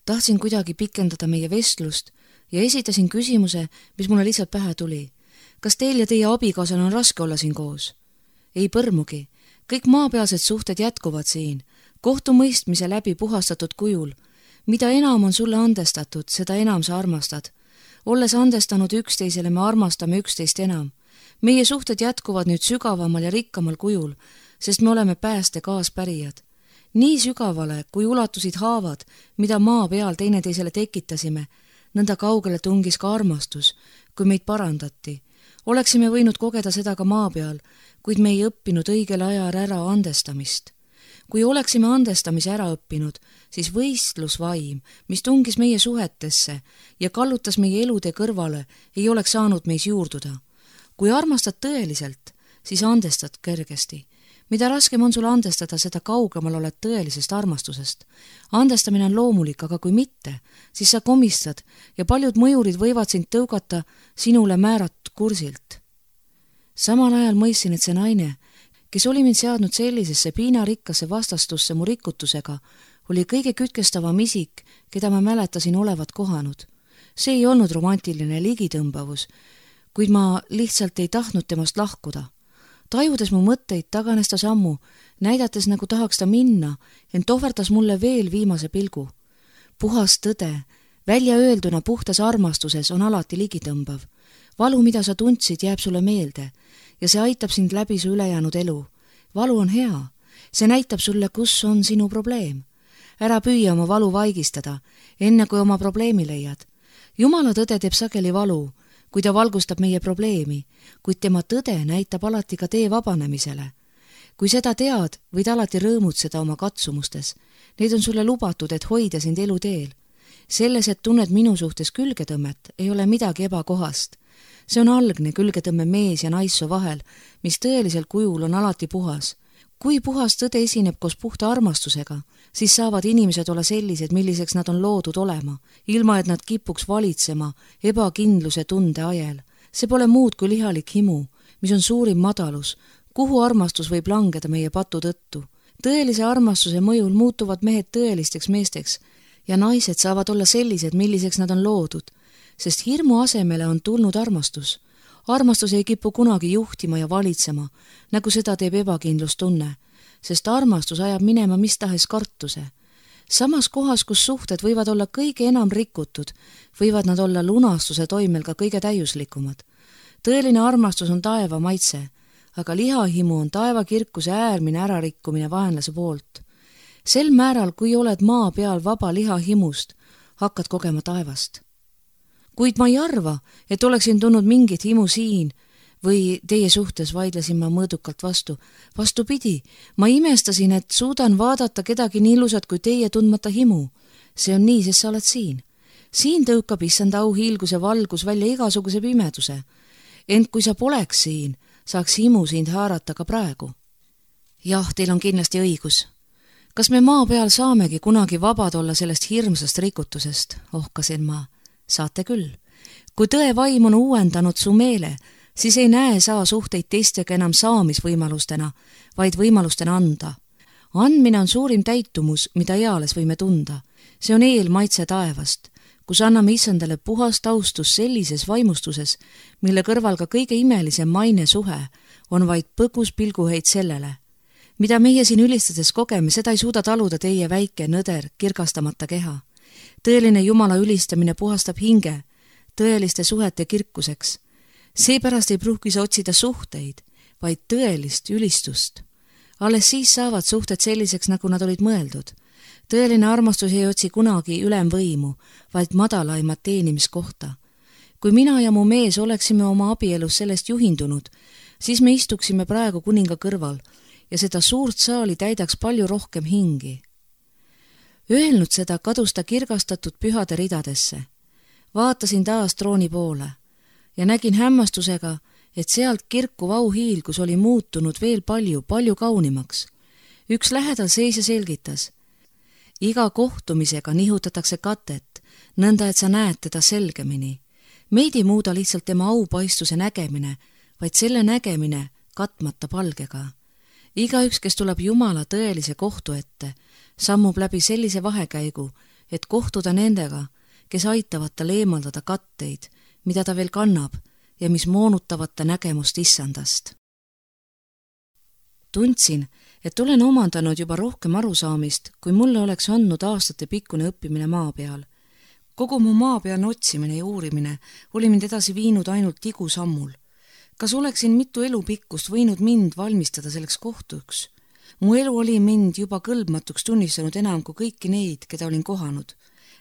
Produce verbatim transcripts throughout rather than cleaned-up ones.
Tahtsin kuidagi pikendada meie vestlust ja esitasin küsimuse, mis mulle lihtsalt pähe tuli. Kas teil ja teie abikaasal on raske olla siin koos? Ei põrmugi. Kõik maapealsed suhted jätkuvad siin, kohtumõistmise läbi puhastatud kujul. Mida enam on sulle andestatud, seda enam sa armastad. Olles andestanud üksteisele, me armastame üksteist enam. Meie suhted jätkuvad nüüd sügavamal ja rikkamal kujul, sest me oleme pääste kaaspärijad. Nii sügavale, kui ulatusid haavad, mida maa peal teineteisele tekitasime, nõnda kaugele tungis ka armastus, kui meid parandati. Oleksime võinud kogeda seda ka maa peal, kuid me ei õppinud õigel ajal ära andestamist. Kui oleksime andestamise ära õppinud, siis võistlusvaim, mis tungis meie suhetesse ja kallutas meie elude kõrvale, ei oleks saanud meis juurduda. Kui armastad tõeliselt, siis andestad kergesti. Mida raskem on sul andestada, seda kaugemal oled tõelisest armastusest. Andestamine on loomulik, aga kui mitte, siis sa komistad ja paljud mõjurid võivad sind tõugata sinule määratud kursilt. Samal ajal mõistsin, et see naine, kes oli mind seadnud sellisesse piinarikkasse vastastusse mu rikutusega, oli kõige kütkestavam isik, keda ma mäletasin olevat kohanud. See ei olnud romantiline ligitõmbavus, kuid ma lihtsalt ei tahtnud temast lahkuda. Tajudes mu mõtteid, taganes ta sammu, näidates nagu tahaks ta minna, ent ohverdas mulle veel viimase pilgu. Puhas tõde, välja öelduna puhtas armastuses on alati ligitõmbav. Valu, mida sa tundsid, jääb sulle meelde ja see aitab sind läbi su ülejäänud elu. Valu on hea, see näitab sulle, kus on sinu probleem. Ära püüa oma valu vaigistada, enne kui oma probleemi leiad. Jumala tõde teeb sageli valu, kui ta valgustab meie probleemi, kuid tema tõde näitab alati ka tee vabanemisele. Kui seda tead, võid alati rõõmutseda oma katsumustes. Need on sulle lubatud, et hoida sind elu teel. Selles, et tunned minu suhtes külgetõmmet, ei ole midagi ebakohast. See on algne külgetõmme mees ja naisso vahel, mis tõelisel kujul on alati puhas. Kui puhas tõde esineb koos puhta armastusega, siis saavad inimesed olla sellised, milliseks nad on loodud olema, ilma et nad kipuks valitsema ebakindluse tunde ajel. See pole muud kui lihalik himu, mis on suurim madalus, kuhu armastus võib langeda meie patu tõttu. Tõelise armastuse mõjul muutuvad mehed tõelisteks meesteks ja naised saavad olla sellised, milliseks nad on loodud, sest hirmu asemele on tulnud armastus. Armastus ei kipu kunagi juhtima ja valitsema, nagu seda teeb ebakindlustunne, sest armastus ajab minema mis tahes kartuse. Samas kohas, kus suhted võivad olla kõige enam rikutud, võivad nad olla lunastuse toimel ka kõige täiuslikumad. Tõeline armastus on taeva maitse, aga lihahimu on taeva kirkuse äärmine ärarikkumine vaenlase poolt. Sel määral, kui oled maa peal vaba lihahimust, hakkad kogema taevast. Kuid ma ei arva, et oleksin tulnud mingit himu siin või teie suhtes, vaidlesin ma mõõdukalt vastu. Vastupidi, ma imestasin, et suudan vaadata kedagi nii ilusat kui teie tundmata himu. See on nii, sest sa oled siin. Siin tõukab issanda auhiilguse valgus välja igasuguse pimeduse. Ent kui sa poleks siin, saaks himu sind haarata ka praegu. Jah, teil on kindlasti õigus. Kas me maa peal saamegi kunagi vabad olla sellest hirmsast rikutusest, ohkasin ma. Saate küll. Kui tõe vaim on uuendanud su meele, siis ei näe saa suhteid teistega enam saamisvõimalustena, vaid võimalustena anda. Andmine on suurim täitumus, mida eales võime tunda. See on eelmaitse taevast, kus anname issandale puhast austus sellises vaimustuses, mille kõrval ka kõige imelisem maine suhe on vaid põgus pilguheit sellele. Mida meie siin ülistades kogeme, seda ei suuda taluda teie väike, nõder, kirgastamata keha. Tõeline Jumala ülistamine puhastab hinge, tõeliste suhete kirkuseks. Seepärast ei pruugi sa otsida suhteid, vaid tõelist ülistust. Alles siis saavad suhted selliseks, nagu nad olid mõeldud. Tõeline armastus ei otsi kunagi ülemvõimu, vaid madalaimat teenimiskohta. Kui mina ja mu mees oleksime oma abielus sellest juhindunud, siis me istuksime praegu kuninga kõrval ja seda suurt saali täidaks palju rohkem hingi. Öelnud seda, kadus ta kirgastatud pühade ridadesse. Vaatasin taas trooni poole ja nägin hämmastusega, et sealt kirkuv auhiilgus oli muutunud veel palju, palju kaunimaks. Üks lähedal seisja selgitas. Iga kohtumisega nihutatakse katet, nõnda et sa näed teda selgemini. Meid ei muuda lihtsalt tema aupaistuse nägemine, vaid selle nägemine katmata palgega. Igaüks, kes tuleb Jumala tõelise kohtu ette, sammub läbi sellise vahekäigu, et kohtuda nendega, kes aitavad tal eemaldada katteid, mida ta veel kannab ja mis moonutavad ta nägemust issandast. Tundsin, et olen omandanud juba rohkem arusaamist, kui mulle oleks andnud aastate pikkune õppimine maa peal. Kogu mu maa peal otsimine ja uurimine oli mind edasi viinud ainult tigusammul. Kas oleksin mitu elupikkust võinud mind valmistada selleks kohtuks? Mu elu oli mind juba kõlbmatuks tunnistanud enam kui kõiki neid, keda olin kohanud.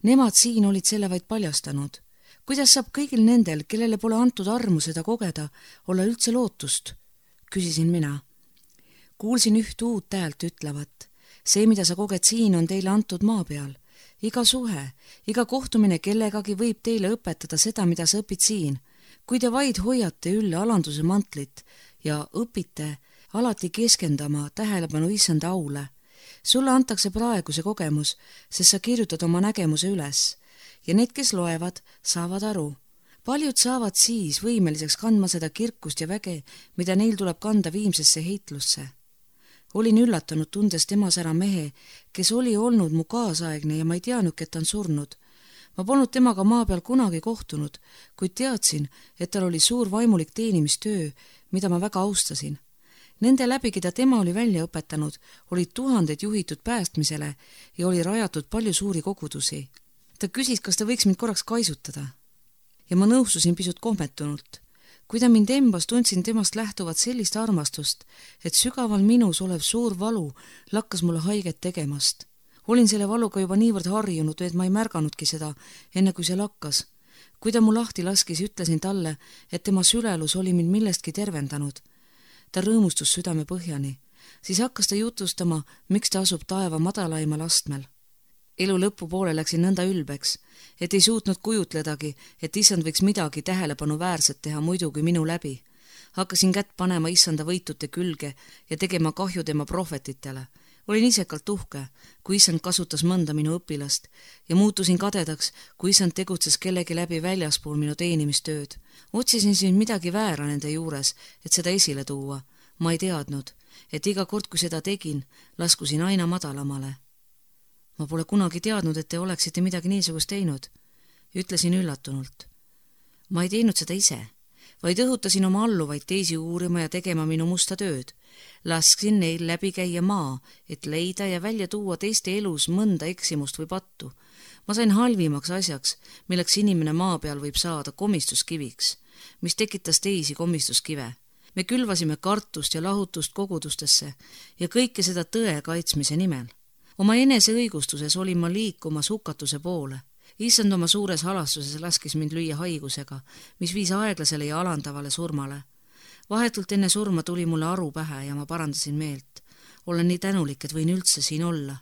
Nemad siin olid selle vaid paljastanud. Kuidas saab kõigil nendel, kellele pole antud armu seda kogeda, olla üldse lootust? Küsisin mina. Kuulsin üht uut häält ütlevat. See, mida sa koged siin, on teile antud maa peal. Iga suhe, iga kohtumine kellegagi võib teile õpetada seda, mida sa õpid siin. Kui te vaid hoiate ülle alanduse mantlit ja õpite alati keskendama tähelepanu issanda aule. Sulle antakse praegu see kogemus, sest sa kirjutad oma nägemuse üles ja need, kes loevad, saavad aru. Paljud saavad siis võimeliseks kandma seda kirkust ja väge, mida neil tuleb kanda viimsesse heitlusse. Olin üllatunud tundes temas ära mehe, kes oli olnud mu kaasaegne ja ma ei teadnud, et ta on surnud. Ma polnud temaga maa peal kunagi kohtunud, kuid teadsin, et tal oli suur vaimulik teenimistöö, mida ma väga austasin. Nende läbi, keda tema oli välja õpetanud, olid tuhanded juhitud päästmisele ja oli rajatud palju suuri kogudusi. Ta küsis, kas ta võiks mind korraks kaisutada. Ja ma nõustusin pisut kohmetunult. Kui ta mind embas, tundsin temast lähtuvat sellist armastust, et sügaval minus olev suur valu lakkas mulle haiget tegemast. Olin selle valuga juba niivõrd harjunud, et ma ei märganudki seda, enne kui see lakkas. Kui ta mu lahti laskis, ütlesin talle, et tema sülelus oli mind millestki tervendanud. Ta rõõmustus südame põhjani. Siis hakkas ta jutustama, miks ta asub taeva madalaimal astmel. Elu lõpupoole läksin nõnda ülbeks, et ei suutnud kujutledagi, et issand võiks midagi tähelepanu väärset teha muidu kui minu läbi. Hakkasin kätt panema issanda võitute külge ja tegema kahju tema prohvetitele. Olin isekalt uhke, kui issand kasutas mõnda minu õpilast ja muutusin kadedaks, kui issand tegutses kellegi läbi väljaspool minu teenimistööd. Otsisin siin midagi väära nende juures, et seda esile tuua. Ma ei teadnud, et iga kord, kui seda tegin, laskusin aina madalamale. Ma pole kunagi teadnud, et te oleksite midagi niisugust teinud. Ütlesin üllatunult. Ma ei teinud seda ise, vaid õhutasin oma alluvaid teisi uurima ja tegema minu musta tööd. Lasksin neil läbi käia maa, et leida ja välja tuua teiste elus mõnda eksimust või pattu. Ma sain halvimaks asjaks, milleks inimene maa peal võib saada komistuskiviks, mis tekitas teisi komistuskive. Me külvasime kartust ja lahutust kogudustesse ja kõike seda tõe kaitsmise nimel. Oma enese õigustuses olin ma liikumas hukatuse poole. Issand oma suures halastuses laskis mind lüüa haigusega, mis viis aeglasele ja alandavale surmale. Vahetult enne surma tuli mulle aru pähe ja ma parandasin meelt. Olen nii tänulik, et võin üldse siin olla.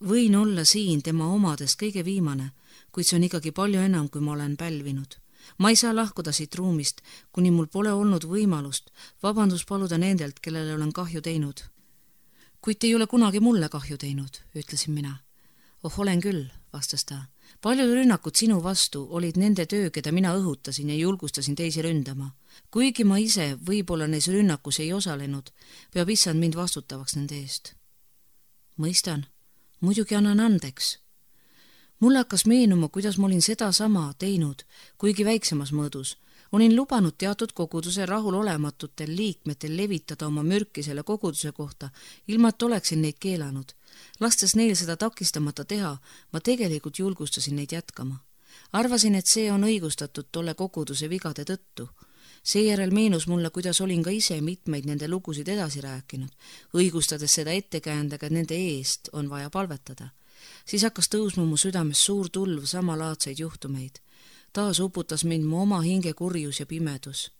Võin olla siin tema omadest kõige viimane, kuid see on ikkagi palju enam, kui ma olen pälvinud. Ma ei saa lahkuda siit ruumist, kuni mul pole olnud võimalust vabandust paluda nendelt, kellele olen kahju teinud. Kuid te ei ole kunagi mulle kahju teinud, ütlesin mina. Oh, olen küll, vastas ta. Paljud rünnakud sinu vastu olid nende töö, keda mina õhutasin ja julgustasin teisi ründama. Kuigi ma ise võib-olla neis rünnakus ei osalenud, peab issand mind vastutavaks nende eest. Mõistan, muidugi annan andeks. Mulle hakkas meenuma, kuidas ma olin seda sama teinud, kuigi väiksemas mõõdus. Olin lubanud teatud koguduse rahulolematutel liikmetel levitada oma mürki selle koguduse kohta, ilma et oleksin neid keelanud. Lastes neil seda takistamata teha, ma tegelikult julgustasin neid jätkama. Arvasin, et see on õigustatud tolle koguduse vigade tõttu. Seejärel meenus mulle, kuidas olin ka ise mitmeid nende lugusid edasi rääkinud, õigustades seda ettekäändaga, et nende eest on vaja palvetada. Siis hakkas tõusma mu südames suur tulv samalaadseid juhtumeid. Taas uputas mind mu oma hinge kurjus ja pimedus.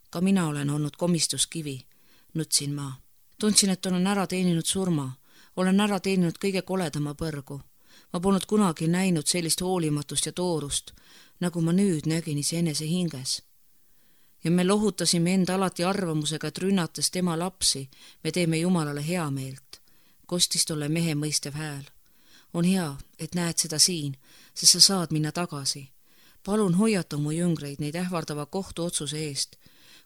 Ka mina olen olnud komistuskivi, nutsin ma. Tundsin, et olen ära teeninud surma. Olen ära teeninud kõige koledama põrgu. Ma polnud kunagi näinud sellist hoolimatust ja toorust, nagu ma nüüd nägin iseenese hinges. Ja me lohutasime enda alati arvamusega, et rünnates tema lapsi, me teeme Jumalale hea meelt. Kostis tolle mehe mõistev hääl. On hea, et näed seda siin, sest sa saad minna tagasi. Palun hoiata mu jüngreid neid ähvardava kohtuotsuse eest,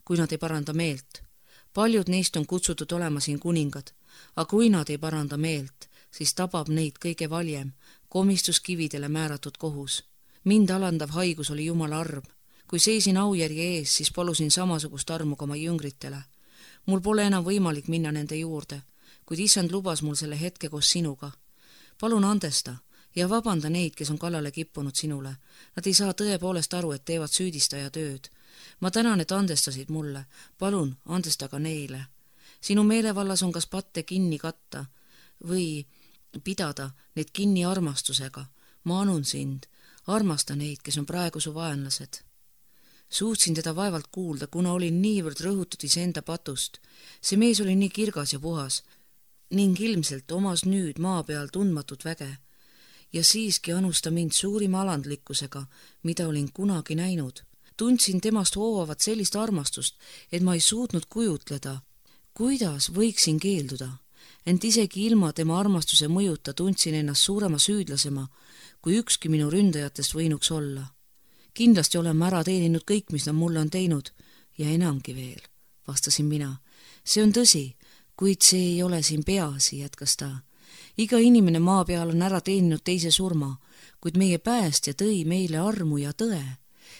kui nad ei paranda meelt. Paljud neist on kutsutud olema siin kuningad, aga kui nad ei paranda meelt, siis tabab neid kõige valjem, komistus kividele määratud kohus. Mind alandav haigus oli Jumala arm. Kui seisin aujärje ees, siis palusin samasugust armu ka oma jüngritele. Mul pole enam võimalik minna nende juurde, kuid issand lubas mul selle hetke koos sinuga. Palun andesta ja vabanda neid, kes on kallale kippunud sinule. Nad ei saa tõepoolest aru, et teevad süüdistaja tööd. Ma tänan, et andestasid mulle. Palun andesta ka neile. Sinu meelevallas on kas patte kinni katta või pidada neid kinni armastusega. Ma anun sind. Armasta neid, kes on praegu su vaenlased. Suutsin teda vaevalt kuulda, kuna olin niivõrd rõhutud iseenda patust. See mees oli nii kirgas ja puhas ning ilmselt omas nüüd maa peal tundmatut väge. Ja siiski anus ta mind suurima alandlikkusega, mida olin kunagi näinud. Tundsin temast hoovavat sellist armastust, et ma ei suutnud kujutleda, kuidas võiksin keelduda. Ent isegi ilma tema armastuse mõjuta tundsin ennast suurema süüdlasema, kui ükski minu ründajatest võinuks olla. Kindlasti olen ma ära teeninud kõik, mis nad mulle on teinud ja enamgi veel, vastasin mina. See on tõsi, kuid see ei ole siin peaasi, jätkas ta. Iga inimene maa peal on ära teeninud teise surma, kuid meie päästja tõi meile armu ja tõe.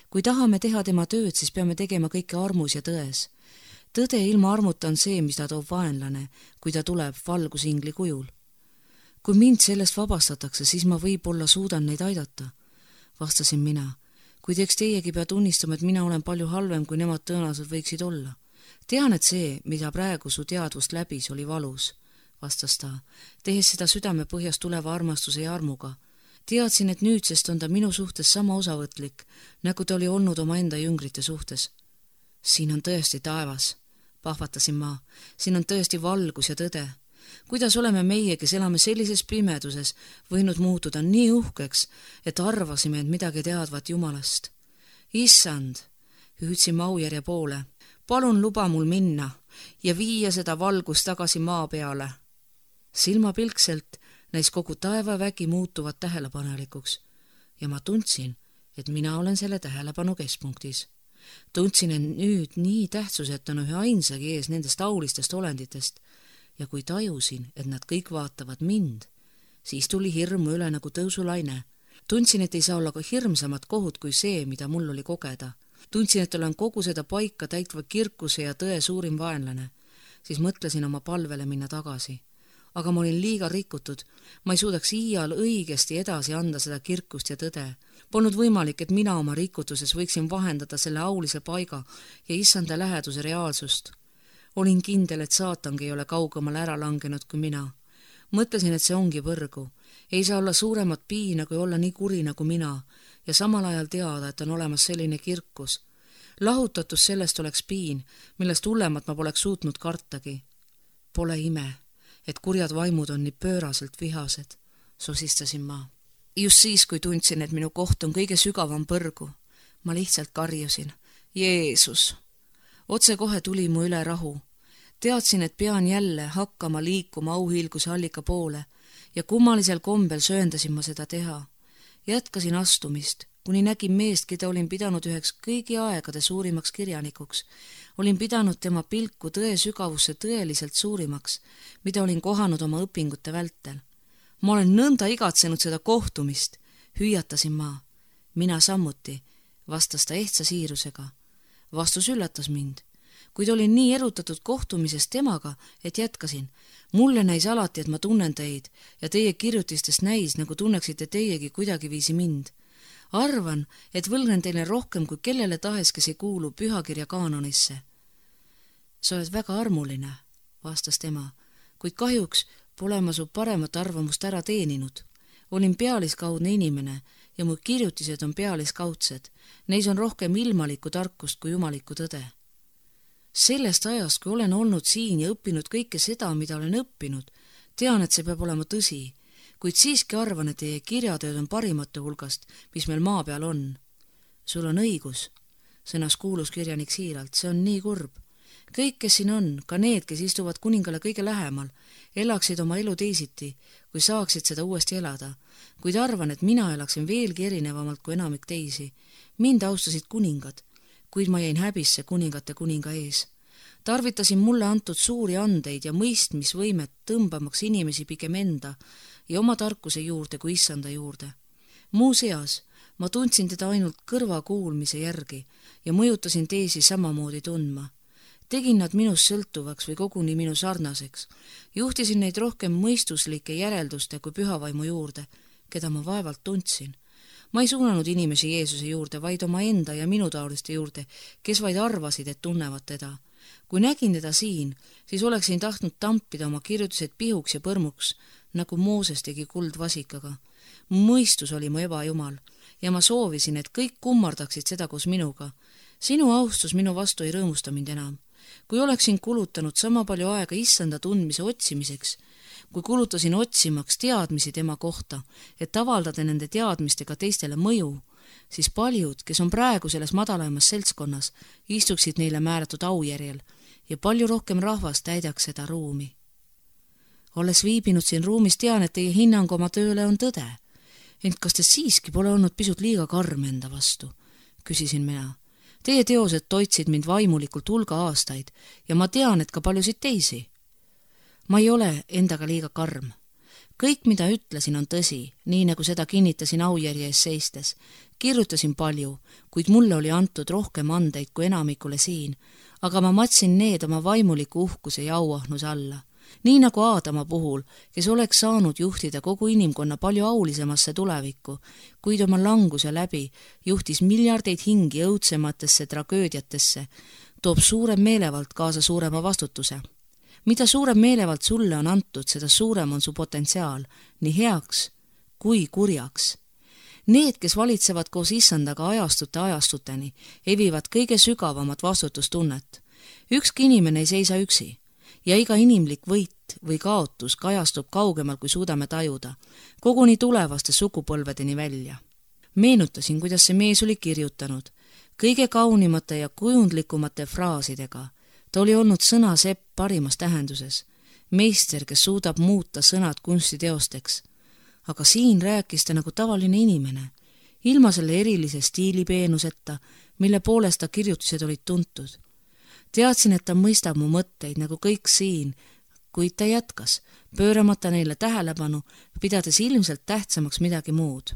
Kui tahame teha tema tööd, siis peame tegema kõike armus ja tões. Tõde ilma armuta on see, mis ta toob vaenlane, kui ta tuleb valgusingli kujul. Kui mind sellest vabastatakse, siis ma võib-olla suudan neid aidata, vastasin mina. Kuid eks teiegi pea tunnistama, et mina olen palju halvem, kui nemad tõenäoliselt võiksid olla. Tean, et see, mida praegu su teadvust läbis, oli valus, vastas ta, tehes seda südame põhjast tuleva armastuse ja armuga. Teadsin, et nüüdsest on ta minu suhtes sama osavõtlik, nagu ta oli olnud oma enda jüngrite suhtes. Siin on tõesti taevas, pahvatasin ma, siin on tõesti valgus ja tõde. Kuidas oleme meie, kes elame sellises pimeduses, võinud muutuda nii uhkeks, et arvasime, et midagi teadvat Jumalast. Issand, hüüdsin ma aujärje poole, palun luba mul minna ja viia seda valgust tagasi maa peale. Silmapilkselt näis kogu taevavägi muutuvat tähelepanelikuks ja ma tundsin, et mina olen selle tähelepanu keskpunktis. Tundsin, et nüüd nii tähtsuset on ühe ainsagi ees nendest aulistest olenditest ja kui tajusin, et nad kõik vaatavad mind, siis tuli hirmu üle nagu tõusulaine. Tundsin, et ei saa olla ka hirmsamat kohut kui see, mida mul oli kogeda. Tundsin, et olen kogu seda paika täitva kirkuse ja tõe suurim vaenlane. Siis mõtlesin oma palvele minna tagasi. Aga ma olin liiga rikutud. Ma ei suudaks iial õigesti edasi anda seda kirkust ja tõde. Polnud võimalik, et mina oma rikutuses võiksin vahendada selle aulise paiga ja issanda läheduse reaalsust. Olin kindel, et saatangi ei ole kaugemale ära langenud kui mina. Mõtlesin, et see ongi põrgu. Ei saa olla suuremat piina, kui olla nii kuri nagu mina ja samal ajal teada, et on olemas selline kirkus. Lahutatus sellest oleks piin, millest hullemat ma poleks suutnud kartagi. Pole ime, et kurjad vaimud on nii pööraselt vihased, sosistasin ma. Just siis, kui tundsin, et minu koht on kõige sügavam põrgu, ma lihtsalt karjusin. Jeesus! Otse kohe tuli mu üle rahu. Teadsin, et pean jälle hakkama liikuma auhiilguse allika poole ja kummalisel kombel sööndasin ma seda teha. Jätkasin astumist, kuni nägin meest, keda olin pidanud üheks kõigi aegade suurimaks kirjanikuks. Olin pidanud tema pilku tõe sügavusse tõeliselt suurimaks, mida olin kohanud oma õpingute vältel. Ma olen nõnda igatsenud seda kohtumist, hüüatasin ma. Mina sammuti, vastas ta ehtsa siirusega. Vastus üllatas mind, kuid olin nii erutatud kohtumisest temaga, et jätkasin. Mulle näis alati, et ma tunnen teid ja teie kirjutistest näis, nagu tunneksite teiegi kuidagi viisi mind. Arvan, et võlgnen teile rohkem kui kellele tahes, kes ei kuulu pühakirja kaanonisse. Sa oled väga armuline, vastas tema, kuid kahjuks pole ma su paremat arvamust ära teeninud. Olin pealiskaudne inimene ja mu kirjutised on pealiskaudsed. Neis on rohkem ilmalikku tarkust kui jumalikku tõde. Sellest ajast, kui olen olnud siin ja õppinud kõike seda, mida olen õppinud, tean, et see peab olema tõsi, kuid siiski arvan, et teie kirjatööd on parimate hulgast, mis meil maa peal on. Sul on õigus, sõnas kuulus kirjanik siiralt, see on nii kurb. Kõik, kes siin on, ka need, kes istuvad kuningale kõige lähemal, elaksid oma elu teisiti, kui saaksid seda uuesti elada, kuid arvan, et mina elaksin veelgi erinevamalt kui enamik teisi. Mind austasid kuningad, kuid ma jäin häbisse kuningate kuninga ees. Tarvitasin mulle antud suuri andeid ja mõistmisvõimet tõmbamaks inimesi pigem enda ja oma tarkuse juurde kui issanda juurde. Muuseas, ma tundsin teda ainult kõrva kuulmise järgi ja mõjutasin teisi samamoodi tundma. Tegin nad minust sõltuvaks või koguni minu sarnaseks. Juhtisin neid rohkem mõistuslike järelduste kui pühavaimu juurde, keda ma vaevalt tundsin. Ma ei suunanud inimesi Jeesuse juurde, vaid oma enda ja minu taoliste juurde, kes vaid arvasid, et tunnevad teda. Kui nägin teda siin, siis oleksin tahtnud tampida oma kirjutused pihuks ja põrmuks, nagu Mooses tegi kuldvasikaga. Mõistus oli mu ebajumal ja ma soovisin, et kõik kummardaksid seda koos minuga. Sinu austus minu vastu ei rõõmusta mind enam. Kui oleksin kulutanud sama palju aega issanda tundmise otsimiseks, kui kulutasin otsimaks teadmisi tema kohta, et avaldada nende teadmistega teistele mõju, siis paljud, kes on praegu selles madalamas seltskonnas, istuksid neile määratud aujärjel ja palju rohkem rahvast täidaks seda ruumi. Olles viibinud siin ruumis, tean, et teie hinnang oma tööle on tõde. Ent kas te siiski pole olnud pisut liiga karm enda vastu? Küsisin mina. Teie teosed toitsid mind vaimulikult hulga aastaid ja ma tean, et ka paljusid teisi. Ma ei ole endaga liiga karm. Kõik, mida ütlesin, on tõsi, nii nagu seda kinnitasin aujärje ees seistes. Kirjutasin palju, kuid mulle oli antud rohkem andeid kui enamikule siin, aga ma matsin need oma vaimuliku uhkuse ja auahnuse alla. Nii nagu Aadama puhul, kes oleks saanud juhtida kogu inimkonna palju aulisemasse tulevikku, kuid oma languse läbi juhtis miljardeid hingi õudsematesse tragöödiatesse, toob suurem meelevald kaasa suurema vastutuse. Mida suurem meelevald sulle on antud, seda suurem on su potentsiaal, nii heaks kui kurjaks. Need, kes valitsevad koos issandaga ajastute ajastuteni, evivad kõige sügavamat vastutustunnet. Ükski inimene ei seisa üksi. Ja iga inimlik võit või kaotus kajastub kaugemal, kui suudame tajuda, koguni tulevaste sugupõlvedeni välja. Meenutasin, kuidas see mees oli kirjutanud, kõige kaunimate ja kujundlikumate fraasidega. Ta oli olnud sõnasepp parimas tähenduses, meister, kes suudab muuta sõnad kunstiteosteks. Aga siin rääkis ta nagu tavaline inimene, ilma selle erilise stiilipeenuseta, mille poolest ta kirjutused olid tuntud. Teadsin, et ta mõistab mu mõtteid nagu kõik siin, kuid ta jätkas, pööramata neile tähelepanu, pidades ilmselt tähtsamaks midagi muud.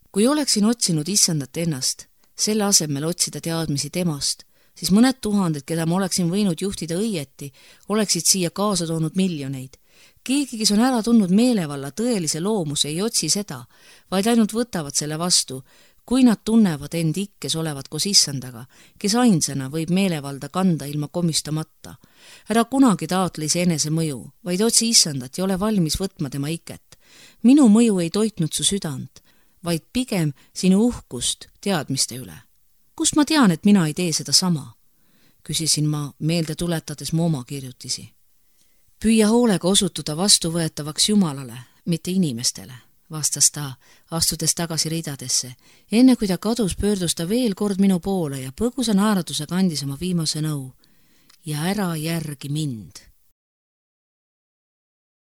Kui oleksin otsinud issandat ennast, selle asemel otsida teadmisi temast, siis mõned tuhanded, keda ma oleksin võinud juhtida õieti, oleksid siia kaasa toonud miljoneid. Keegi, kes on ära tundnud meelevalla tõelise loomuse, ei otsi seda, vaid ainult võtavad selle vastu, kui nad tunnevad end ikkes olevat koos issandaga, kes ainsana võib meelevalda kanda ilma komistamata. Ära kunagi taotle ise enese mõju, vaid otsi issandat ja ole valmis võtma tema iket. Minu mõju ei toitnud su südant, vaid pigem sinu uhkust teadmiste üle. Kust ma tean, et mina ei tee seda sama? Küsisin ma, meelde tuletades mu oma kirjutisi. Püüa hoolega osutuda vastuvõetavaks Jumalale, mitte inimestele, vastas ta, astudes tagasi ridadesse. Enne kui ta kadus, pöördus ta veel kord minu poole ja põgusa naeratusega andis oma viimase nõu. Ja ära järgi mind.